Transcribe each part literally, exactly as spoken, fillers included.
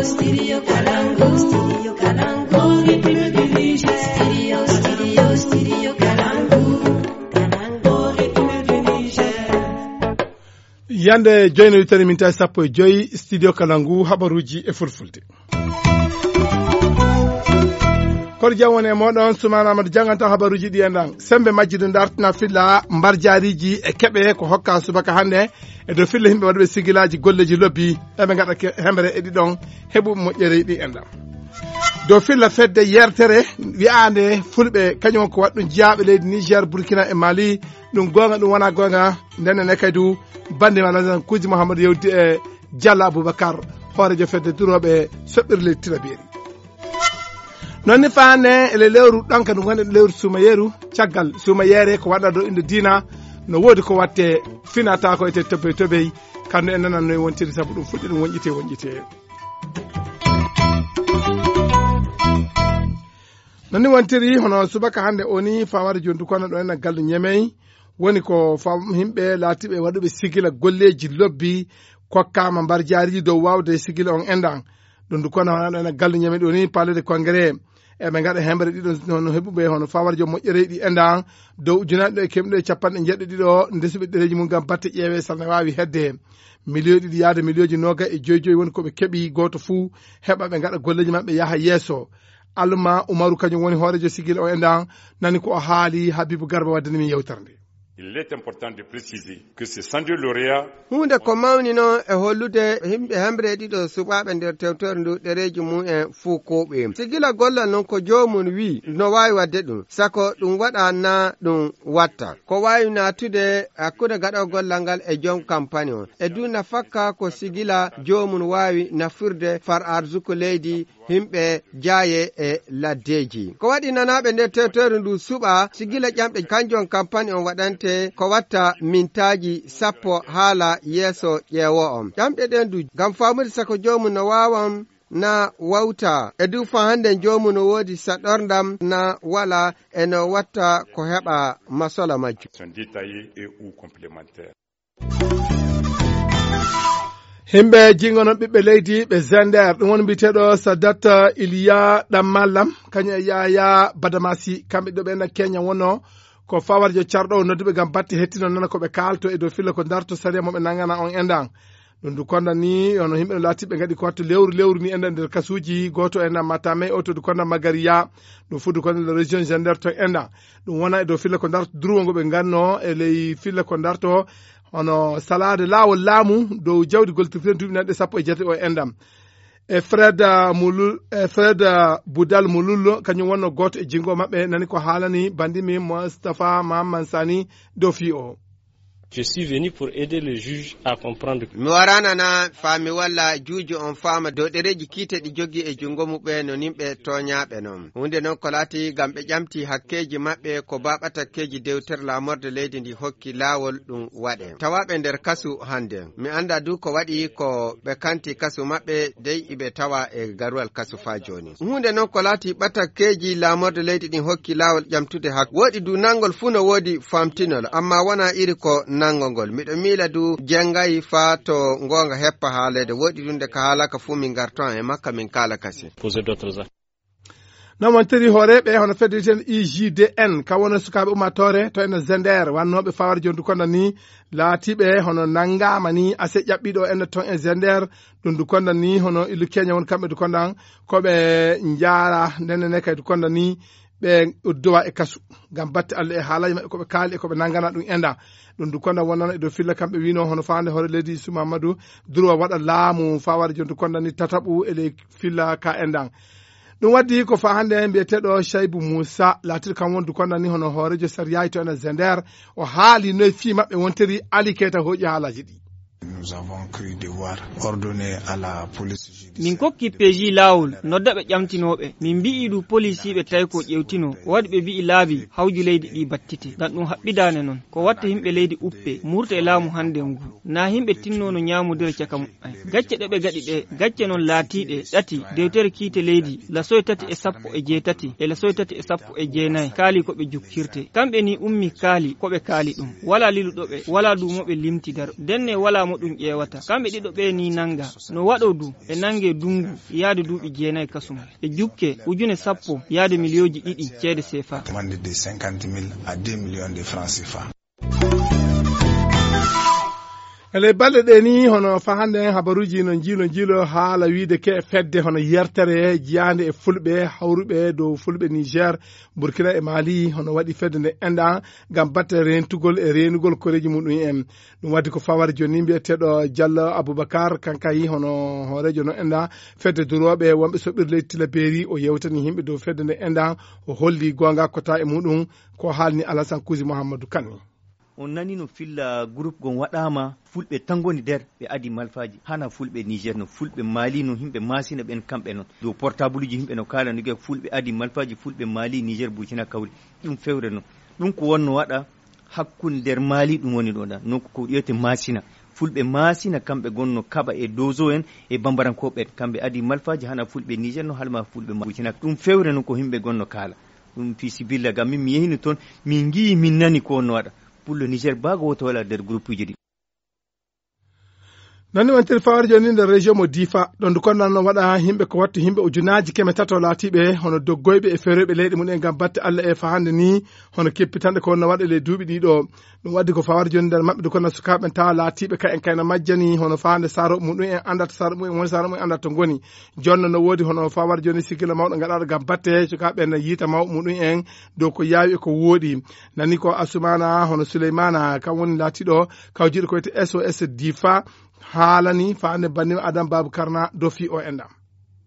Studio Kalangu, Studio Kalangu, Ritme du Niger. Studio, studio, studio Kalangu, Kalangu, Ritme du Niger. Yande joyno yutani min tawi sappo e joyi Studio Kalangu, habaruji e fulfulde. Koɗo jam woni e moɗon, Sumaana Amadou jannganta habaruji ɗi e ndan. Sembe majji ɗum dartina filla mbarjaariji e keɓe ko hokka subaka hannde e dow filla yimɓe waɗuɓe sigilaaji golleeji lobbi, eɓe ngaɗa ke-, hemre e ɗiɗon heɓuɓe moƴƴere ɗi e ndan. Dow filla fedde yertere wi'aande fulɓe, kañum ko waɗɗum jiyaaɓe leydi Niger, Burkina e Mali, ɗum goonga, ɗum wonaa goonga, ndenne ne kay du bannde ma Lasan Kuuji Mouhamadou yewti e Diallo Aboubacar, hooreejo fedde durooɓe soɓɓirle tirabeeri. Noon ni faande ele lewru ɗanka ɗum woni lewru suumayeeru, caggal suumayeere ko waɗa ɗo innde diina, no woodi ko watte finata ko ete tobey tobey, kandu en nanan no e wontiri sabu ɗum fuɗɗi ɗum wonƴite wonƴite. Noon ni wontiri hono subaka hannde o ni fawade jontu kono ɗo en gallu ñemey, woni ko fam-, yimɓe laatiɓe waɗuɓe sigila golleeji lobbi, kokkaama mbarjaariji dow waawde sigila on enɗan. Ɗum du kono hono ene gallu ñame ɗo ni palais de congrès. Eɓe ngaɗa hemre ɗiɗo hono heɓuɓe hono fawarjo moƴƴere ɗi enɗan dow ujunaaɗe ɗo e kemɗe ɗo e capanɗe jeeɗiɗo ɗiɗo ndesuɓe ɗereeji mum ngam batte ƴeewe sal ne waawi hedde. Miliyoji ɗiɗi yaade miliyoji noga e joyi joyi woni ko ɓe keɓi gooto fuu heɓa ɓe ngaɗa golleeji maɓɓe yaha yeeso. Alma Umaru kañum woni hooreejo sigil o enɗan nani ko o haali Habibu Garba waddani min yewtere nde. Il est important de préciser que ces cent deux lauréats. Huunde ko mawni noon e hollude yimɓe hemre ɗiɗo suɓaaɓe nder tewtere ndu ɗereeji mum en fuu kuuɓi. Sigila gollal noon ko joomum wii no waawi waɗde ɗum, sako ɗum waɗa naa ɗum watta. Ko waawi naatude hakkunde gaɗoowo gollal ngal e joom kampani on. E du nafakka ko sigila joomum waawi nafirde far arsuku leydi yimɓe jaaye e laddeeji. Ko waɗi nanaaɓe nder tewtere ndu suɓa sigila ƴamɗe kanjum kampani on waɗante ko watta mintaaji sappo haala yeeso ƴeewo on. Ƴamɗe ɗen du ngam faamude sako joomum no waawan na wawta. E du fa hannde joomum no woodi saɗorndam na wala e no watta ko heɓa masola majjum. Sont détaillés et ou complémentaires. Himɓe jingono ɓiɓɓe leydi ɓe Zender, ɗum woni mbiyeteeɗo Sadat Iliya Ɗammallam, kañum e Yaya Badamasi, kamɓe ɗiɗo ɓe na Kenya wonno ko fawarjo carɗo o nodduɓe ngam batte hettino nana ko ɓe kaalto e dow filla ko darto sariya mo ɓe nangana on enɗan. Ɗum du konda ni, ono yimɓe no laatiɓe ngaɗi ko wattu lewru lewru ni enɗan nder kasuuji, gooto enɗan Matame, oto du konda Magariya, ɗum fu du konda la région Zender to enɗan. Ɗum wona e dow filla ko darto durwo ngo ɓe nganno e ley filla ko darto hono salaade laawol laamu dow jawdi gollitirteeɗi duuɓi nanɗe sappo e jeetati o e enɗam. E Fred, ah, Mulul-, e Fred, ah, Budal Mulullo, kañum wonno gooto e jinngo maɓɓe, nani ko haalani banndi mi Moustapha Mahamman Sani dow fii o. Je suis venu pour aider le juge à comprendre. Mi warana na faa mi walla juujo on faama dow ɗereeji kiite ɗi jogii e junngo muɓɓe no nimɓe tooñaaɓe non. Huunde non ko laati ngam ɓe ƴamti hakkeeji maɓɓe ko baaɓatakkeeji dewtere laamorde leydi ndi hokki laawol ɗum waɗe. Tawaaɓe nder kasu hannde. Mi annda du ko waɗi ko ɓe kanti kasu maɓɓe dey iɓe tawa e garuwal kasu faa jooni. Huunde non ko laati ɓatakkeeji laamorde leydi ɗin hokki laawol ƴamtude hak. Woɗi du nanngol fuu no woodi famtinol, amma wona iri ko nanngol ngol. Miɗo miila du jenngayi faa to ngoonga heppa haaleede. Woɗi du nde ka haalaka fuu min ngarto e makka min kaala kasi. Poser d'autres actes. Non wontiri hooreeɓe hono fedde wiyeteende I G D N, ka wona sukaaɓe ummaatoore to ene Zender, wannooɓe fawar jondu konda ni, laatiiɓe hono nanngaama ni, ase ƴaɓɓiiɗo ene ton e Zender, ɗum du konda ni, hono illu Kenya won kamɓe du konda, ko ɓe njaara, ndenne ne kay du konda ni, ɓe uddowa e kasu, ngam batte Allah e haalaaji maɓɓe ko ɓe kaali e ko ɓe nanngana ɗum enda. Ɗum du konda wonnano e dow filla kamɓe wino hono faande hoore leydi Isu Mamadou, durwa waɗa laamu fawar jondu konda ni tataɓu e ley filla ka endan. Ɗum waddi ko faa hannde mbiyeteeɗo Shaibu Musa, laatiiɗo kam wondu konda ni hono hooreejo sariyaaji to ene Zender, o haali noye fii maɓɓe wontiri Ali Keita hooƴi haalaaji ɗi. Nous avons cru devoir ordonner à la police judiciaire. Min kokki P J laawol, nodda ɓe ƴamtinooɓe. Min mbi'i du polisiiɓe tawi ko ƴewtino, waɗi ɓe mbi'i laabi hawju leydi ɗi battite. Ngam ɗum haɓɓidaane non. Ko watta yimɓe leydi uppe, murta e laamu hannde ngu. Na yimɓe tinnono ñaamodira caka muɓɓen. Gacce ɗe ɓe gaɗi ɗe, gacce non laatiiɗe ɗati, dewtere kiite leydi, lasoy tati e sappo e jeetati, e lasoy tati e sappo e jeenayi, kaali ko ɓe jukkirte. Kamɓe ni ummi kaali, ko ɓe kaali ɗum. Wala liluɗo ɓe, wala duumo ɓe limti daro. Ndenne wala Ɗum ƴeewata. Kamɓe ɗiɗo ɓe ni nannga. No waɗo du, ɓe nannge dunngu, yaade duuɓi jeenayi kasum. Ɓe jukke, ujune sappo, yaade miliyooji ɗiɗi ceede seefa. Demande de cinquante mille à deux millions de francs C F A. E ley balɗe ɗe ni, hono fa hannde en habaruuji no njiilo njiilo haala wiide ke fedde hono yertere jiyaande e fulɓe hawruɓe dow fulɓe Niger, Burkina e Mali, hono waɗi fedde nde enɗa ngam batte reentugol e reenugol koreeji muɗum en. Ɗum waddi ko fawar jooni mbiyeteeɗo Diallo Aboubacar, kankayi hono hooreejo no enɗa fedde durooɓe wonɓe soɓɓirde leydi Tilaberi, o yewtani yimɓe dow fedde nde enɗa, o holli goonga kota e muɗum ko haalni Alassane Kuzi Mouhamadou Kanni. On nani no filla groupe gon waɗaama, fulɓe tan ngoni nder, ɓe adi malfaaji, hana fulɓe Niger no, fulɓe Mali no, yimɓe Masina ɓen kamɓe non. Dow portableji yimɓe no kaala no giya fulɓe adi malfaaji, fulɓe Mali, Niger, Burkina kawri. Ɗum fewre non. Ɗum ko wonno waɗa hakkunde nder Mali ɗum woni ɗo ɗa. Non ko wiyete Masina. Fulɓe Masina kamɓe gonno kaɓa e dozo en e bambarankooɓe en. Kamɓe adi malfaaji hana fulɓe Niger no halma fulɓe Mali. Burkina. Ɗum fewre non ko yimɓe gonno kaala. Ɗum fi sibilla gam min mi yehino toon, min ngiyi, min nani ko wonno waɗa. Pullo Niger baago woto wala nder groupe uji ɗi. Nani wontere fawar jooni nder région mo Difa, ɗon du konnan no waɗa yimɓe ko wattu yimɓe ujunaaji keme tato laatiiɓe hono doggoyɓe e feroyɓe leyɗe mum en ngam batte Allah e fahande ni, hono keppitanɗe ko wonno waɗa ley duuɓi ɗiɗo. Ɗum waddi ko fawar jooni nder maɓɓe du konnan sukaaɓe tawa laatiiɓe ka en kayno majjani hono fahande saaro muɗum en andata saaro muɗum en woni saaro muɗum en andata to ngoni. Jonno no woodi hono fawar jooni sigila mawɗo gaɗaɗo ngam batte sukaaɓe no yiita mawɓe muɗum en dow ko yaawi e ko wooɗi. Nani ko Asumana hono Suleymana kam woni laatiɗo kawjiɗo ko wiyete S O S Difa haalani faande banndima Adam Babu Karna dofi o enɗam.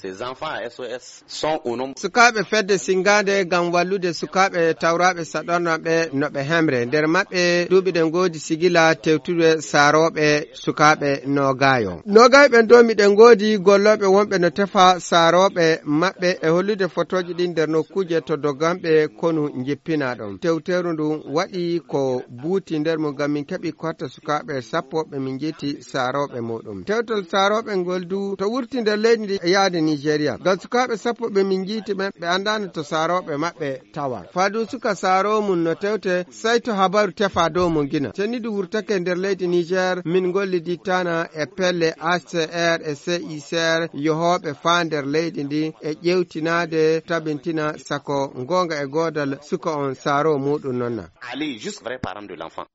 Ces enfants à S O S sont au nombre. Sukaaɓe fedde singaande ngam wallude sukaaɓe tawraaɓe saɗornooɓe no ɓe hemre. Nder maɓɓe duuɓi ɗe ngoodi sigila tewtude saarooɓe sukaaɓe noogaayo. Noogaayo ɓen doomi ɗe ngoodi gollooɓe wonɓe no tefa saarooɓe maɓɓe e hollude fotooji ɗin nder nokkuuje to doganɓe konu njippinaa ɗon. Tewteeru ndun waɗi ko buuti nder mum ngam min keɓi korte sukaaɓe sappo ɓe min njiiti saarooɓe muɗum. Tewtol saarooɓe ngol du to wurti nder leydi ndi e yaade Nigeria. Ngam sukaaɓe sappo ɓe min njiiti ɓen ɓe anndaano to saarooɓe maɓɓe tawa. Fadu suka saaro mum no tewte, sai to habaru tefa dow mo gina. Cenni du wurtake nder leydi Niger, min ngollidittana e pelle H C R e C I C R yohooɓe faa nder leydi ndi e ƴewtinaade tabintina sako ngoonga e goodal suka on saaro muɗum nonna. Aller juste vrai parent de l'enfant.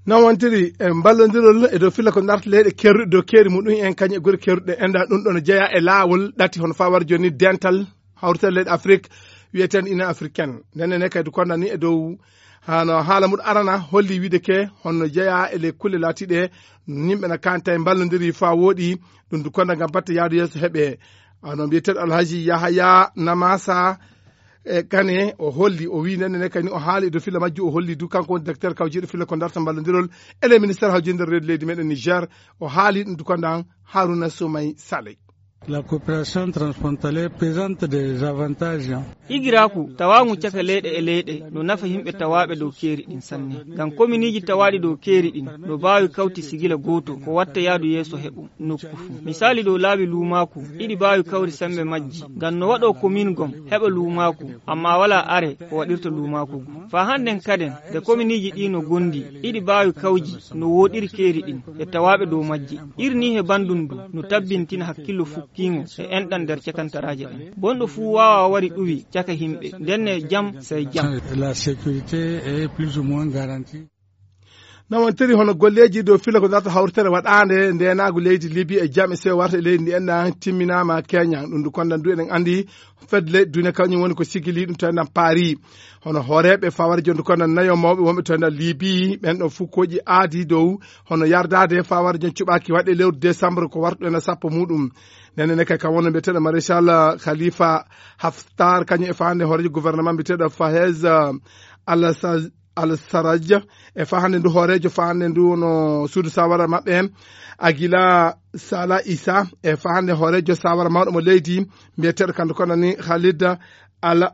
Non wontiri e mballondirol e dow filla ko darta leyɗe kerruɗe dow keeri muɗum en kañum e gure kerruɗe enɗa ɗum ɗon jeeya e laawol ɗati hono fawar jooni dental hawrital leyɗe Afrik wiyeteende Union Africaine. Ndenne ne kadi kondani e dow hano haala muɗum arana holli wiide ke honno jeeya e ley kulle laatiɗe yimɓe na kanta e mballondiri fa wooɗi ɗum du konda ngam batte yaadu yeeso heɓe. Ano mbiyeteeɗo Alhaji Yahaya Namasa e Kane o holli, o wi ndenne ne kadi o haali e dow filla majju, o holli du kanko woni directeur kawjiiɗo filla ko darta mballondirol e ley ministère hawjinde nder reedu leydi meɗen Niger. O haali ɗum du konda Haruna Soumay Saleh. La coopération transfrontalière présente des avantages. Igiraaku tawaaŋu caka leyɗe e leyɗe no nafa yimɓe tawaaɓe dow keeri ɗin sanne. Ngam kominiiji tawaaɗi dow keeri ɗin no baawi kawti sigila gooto ko watta yaadu yeeso heɓu nokku fuu. Misaali dow laabi luumaaku iɗi baawi kawri semmbe majji. Ngam no waɗo komin gom heɓa luumaaku, amma walaa are ko waɗirta luumaaku ngu. Faa hannden kaden, nde kominiiji ɗii no gondi, iɗi baawi kawji no wooɗiri keeri ɗin e tawaaɓe dow majji. Irni he banndum ndu no tabbintina hakkillo fukkiingo e enɗan nder cakantaraaje ɗen. Bonɗo fuu waawaa wari ɗuwi caka himɓe, ndenne jam sey jam. La sécurité est plus ou moins garantie. Nawantiri hono golleeji dow fila ko darta hawritere waɗaande ndeenaagu leydi Libi e jam e sewo warta e leydi ndi enɗan timminaama Kenya. Ɗum ndu kondan du eɗen anndi fedde leyɗe duniya kañum woni ko sigili ɗum tawi nan paari. Hono hooreeɓe fawar jonde kondan nayo mawɓe wonɓe tawi nan Libi ɓen ɗo fuu koƴi aadi dow hono yardaade fawar jon cuɓaaki waɗe lewru décembre ko wartuɗo ena sappo muɗum. Nene ne kay kam wonno mbiyeteeɗo Maréchal Khalifa Haftar kañum e faande hooreejo gouvernement mbiyeteeɗo Fahez Al-Sarraj e fahande ndu hooreejo fahande ndu no suudu sawara maɓɓe Agila Sala Isa e fahande hooreejo sawara mawɗo mo leydi mbiyeteeɗo kanko konani Khalid Al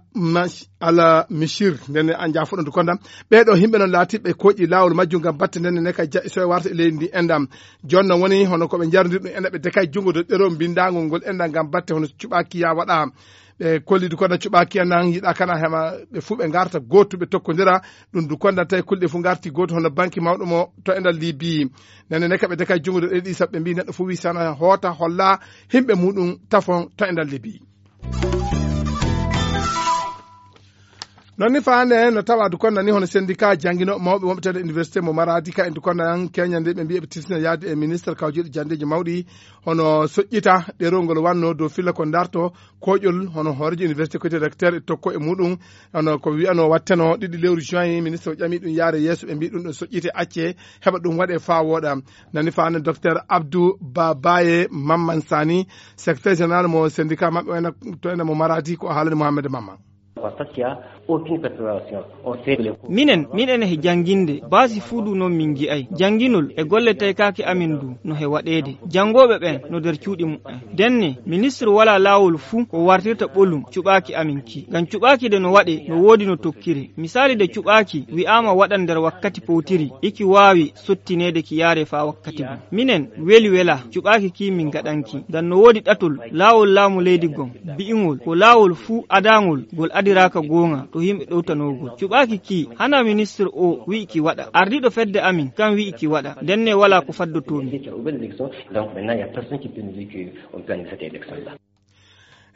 Mishir. Ndenne an jaafuɗo ndu kondam ɓeeɗo yimɓe noon laatiɓe koƴi laawol majjum ngam batte ndenne ne kay jaɓi soye warta e leydi ndi endam. Jooni noon woni hono ko ɓe njarndir ɗum enda ɓe dekay junngo do ɗero mbinndangol ngol enda ngam batte hono cuɓaaki ya waɗa. Ɓe kolli du kono cuɓaaki en nan yiɗa kana hema ɓe fuu ɓe ngarta gootu ɓe tokkondira. Ɗum du kono tawi kulɗe fuu ngarti gootu hono banki mawɗo mo to e nder Libi. Nene ne kaɓe de kay junngo ɗe ɗi saɓɓe mbi neɗɗo fuu wi sana hoota holla himɓe muɗum tafon to e nder Libi. Non ni faande no tawa du kono ni hono syndicat jangino mawɓe wonɓe tede université mo Maradi ka en du kono an keñande ɓe mbiye ɓe tisna yaade e ministre kawjuɗo jandeji mawɗi hono soƴƴita ɗerol ngol wanno dow filla ko darto koƴol hono hoorejo université koyte recteur e tokko e muɗum. Hono ko wiyano watteno ɗiɗi lewru juin ministre o ƴami ɗum yaare yeeso ɓe mbi ɗum ɗo soƴƴite acce heɓa ɗum waɗe fa wooɗa. Nani faande docteur Abdou Babaye Mamman Sani, secrétaire général mo syndicat maɓɓe wayna to ene mo Maradi ko haalani Mohamed Mamman. Parce qu'il y a aucune préparation. On sait que les Minen, min ene he jannginde, baasi fuu du noon min nji'ay. Jannginol e golle taykaaki amin du no he waɗeede. Janngooɓe ɓeen no nder cuuɗi muɓɓen. Denne, ministre walaa laawol fuu ko wartirta ɓolum cuɓaaki amin ki. Ngam cuɓaaki de no waɗe, no woodi no tokkire. Misaali de cuɓaaki wi'aama waɗan nder wakkati powtiri, iki waawi sottineede ki yaare faa wakkati gum. Minen, weli welaa, cuɓaaki ki min ngaɗanki. Ngam no woodi ɗatol laawol laamu leydi gom, bi'ingol ko laawol fuu adaangol ngol adiraaka goonga to yimɓe ɗowtanoogol. Cuɓaaki ki, hana ministre o wi'i ki waɗa. Ardiiɗo fedde amin, kan wi'i ki waɗa. Ndenne walaa ko faddotoo min. Donc maintenant, il y a personne qui peut nous dire qu'on peut annuler cette élection-là.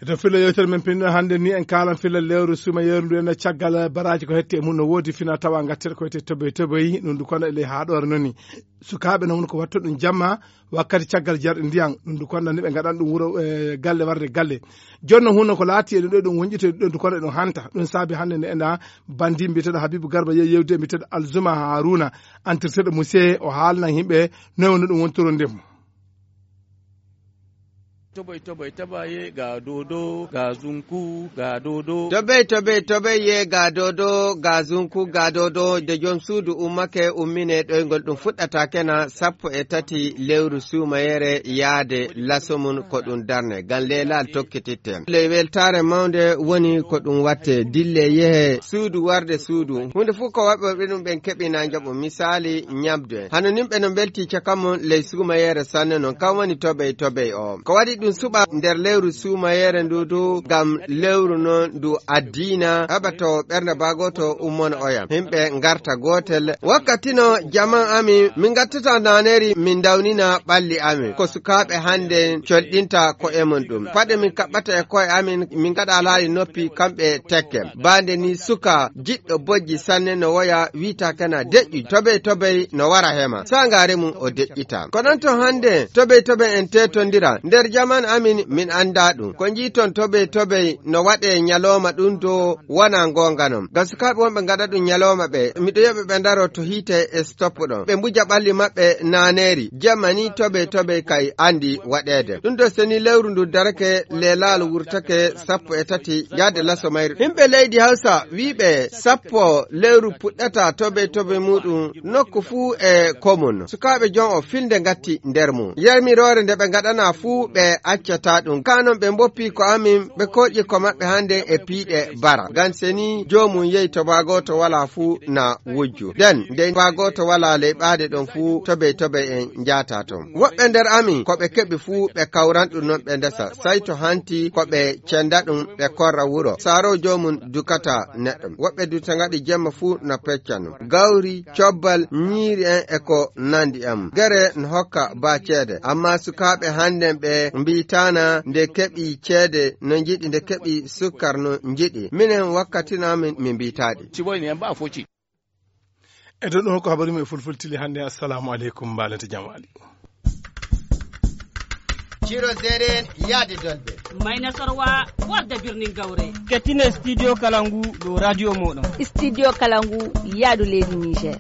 E to filla yewtere men pinno hannde ni en kaalan filla lewru suuma yeru ndu en caggal baraaji ko hetti e mum no woodi fina tawa ngatteɗo ko wiyetee toboy toboy ɗum ndu kono e ley haaɗoore noon ni. Sukaaɓe noon ko watta ɗum jamma wakkati caggal jarɗe ndiyan ɗum ndu kono ni ɓe ngaɗan ɗum wuro e galle warde galle. Jooni noon hunno ko laati e ɗum ɗo ɗum wonƴito e ɗum ndu kono e ɗum hanta. Ɗum saabi hannde nde ena banndi mbiyeteeɗo Habibu Garba yehi yewde e mbiyeteeɗo Alzuma Haruna, entirteeɗo Muse o haalnan yimɓe noy wonno ɗum wontoro ndemu. Toboy, toboy, tabaye, ga dodo, ga zunku, ga dodo. Toboy, toboy, toboy, ye ga dodo, ga zunku, ga dodo. De joom suudu ummake, ummine ɗoyngol ɗum fuɗɗata kena sappo e tati lewru suumayere yaade laso mum ko ɗum darne. Ngam leelal tokkititten. Le weltaare mawnde woni ko ɗum watte. Dille yehe suudu warde suudu. Huunde fof ko waɗɓe ɗum ɓen keɓina njaɓu. Misaali, ñamde. Hano nimɓe no mbelti caka mum ley suumayere sanne noon. Kam woni tobey tobey o. Ko waɗi ɗum suɓa nder lewru suumayere ndu du ngam lewru noon ndu addiina. Heɓa to ɓernde baagoto ummon oya. Himɓe ngarta gootel. Wakkati no jaman amin, min ngattata naaneri, min ndawnina ɓalli amin. Ko sukaaɓe hannde colɗinta ko'e mum ɗum. Paɗe min kaɓɓata e ko'e amin, min ngaɗa alaali noppi kamɓe tekke. Baande ni suka jiɗɗo bojji sanne no woya wiita kana deƴƴu tobey tobey no wara hema. Sangaare mum o deƴƴita. Ko ɗon to hannde tobey tobey en tetondira. Nder jaman amin min annda ɗum. Ko njiiton tobey tobey no waɗe ñalooma ɗum do wona ngoonga non. Ngam sukaaɓe wonɓe ngaɗa ɗum ñalooma ɓe, miɗo yi'a ɓe ɓe ndaro to hiite e stop ɗon. Ɓe mbuja ɓalli maɓɓe naaneri. Jemma ni tobey tobey kay anndi waɗeede. Ɗum ɗo seni lewru ndu darake, leelaal wurtake sappo e tati yaade laso mayru. Himɓe leydi Hawsa wiiɓe sappo lewru puɗɗata tobey tobey muɗum nokku fuu e komun. Sukaaɓe jon o filnde ngatti nder mum. Yarmiroore nde ɓe ngaɗana fuu ɓe accata ɗum. Kaa non ɓe mboppi ko amin, ɓe koƴi ko maɓɓe hannde e piiɗe bara. Ngam seni joomum yehi to baa gooto walaa fuu na wujju. Den, nde baa gooto walaa ley ɓaade ɗon fuu tobey tobey en njaata ton. Woɓɓe nder amin, ko ɓe keɓi fuu ɓe kawran ɗum non ɓe ndesa. Say to hanti ko ɓe cenda ɗum ɓe korra wuro. Saaro joomum dukata neɗɗo. Woɓɓe du to ngaɗi jemma fuu na pecca non. Gawri, cobbal, ñiiri en e ko nandi en. Gere no hokka baa ceede. Amma sukaaɓe hannden ɓe mbiitaana nde keɓi ceede no njiɗi, nde keɓi sukkar no njiɗi. Minen wakkati no amin min mbiitaaɗi. Siboyni en ba foti. E dow ɗum ko habaru men fulfultili hannde. Assalamu aleykum, mbaalete jam waali. Ciro Zeren yaade Dolɓe. Mayna Sorwa warda birnin Gawre. Kettine Studio Kalangu dow radio mooɗon. Studio Kalangu yaadu leydi Niger.